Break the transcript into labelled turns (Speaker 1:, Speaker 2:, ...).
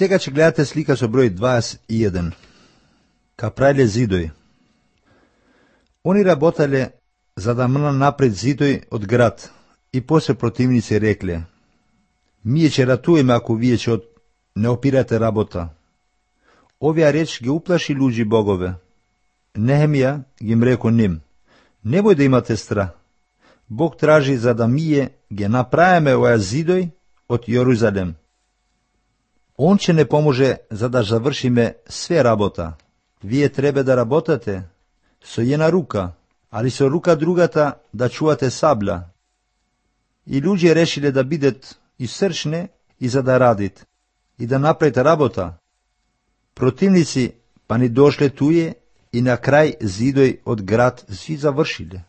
Speaker 1: Сега ќе гледате слика со број 21. Ка правиле зидој. Они работале за да мна напред зидој од град и после противници рекле: Ние ќе ратуваме ако вие ќе не опирате работа. Овие реч ги уплаши луѓи богове. Нехемија ги реко ним: Немој да имате страх. Бог тражи за да ние ги направиме оваа зидој од Јерусалем. Он ќе не поможе за да завршиме све работа. Вие треба да работате со една рука, али со рука другата да чувате сабла. И луѓе решиле да бидат и срчне и за да радит, и да направат работа. Противници па ни дошле туе и на крај зидој од град си завршиле.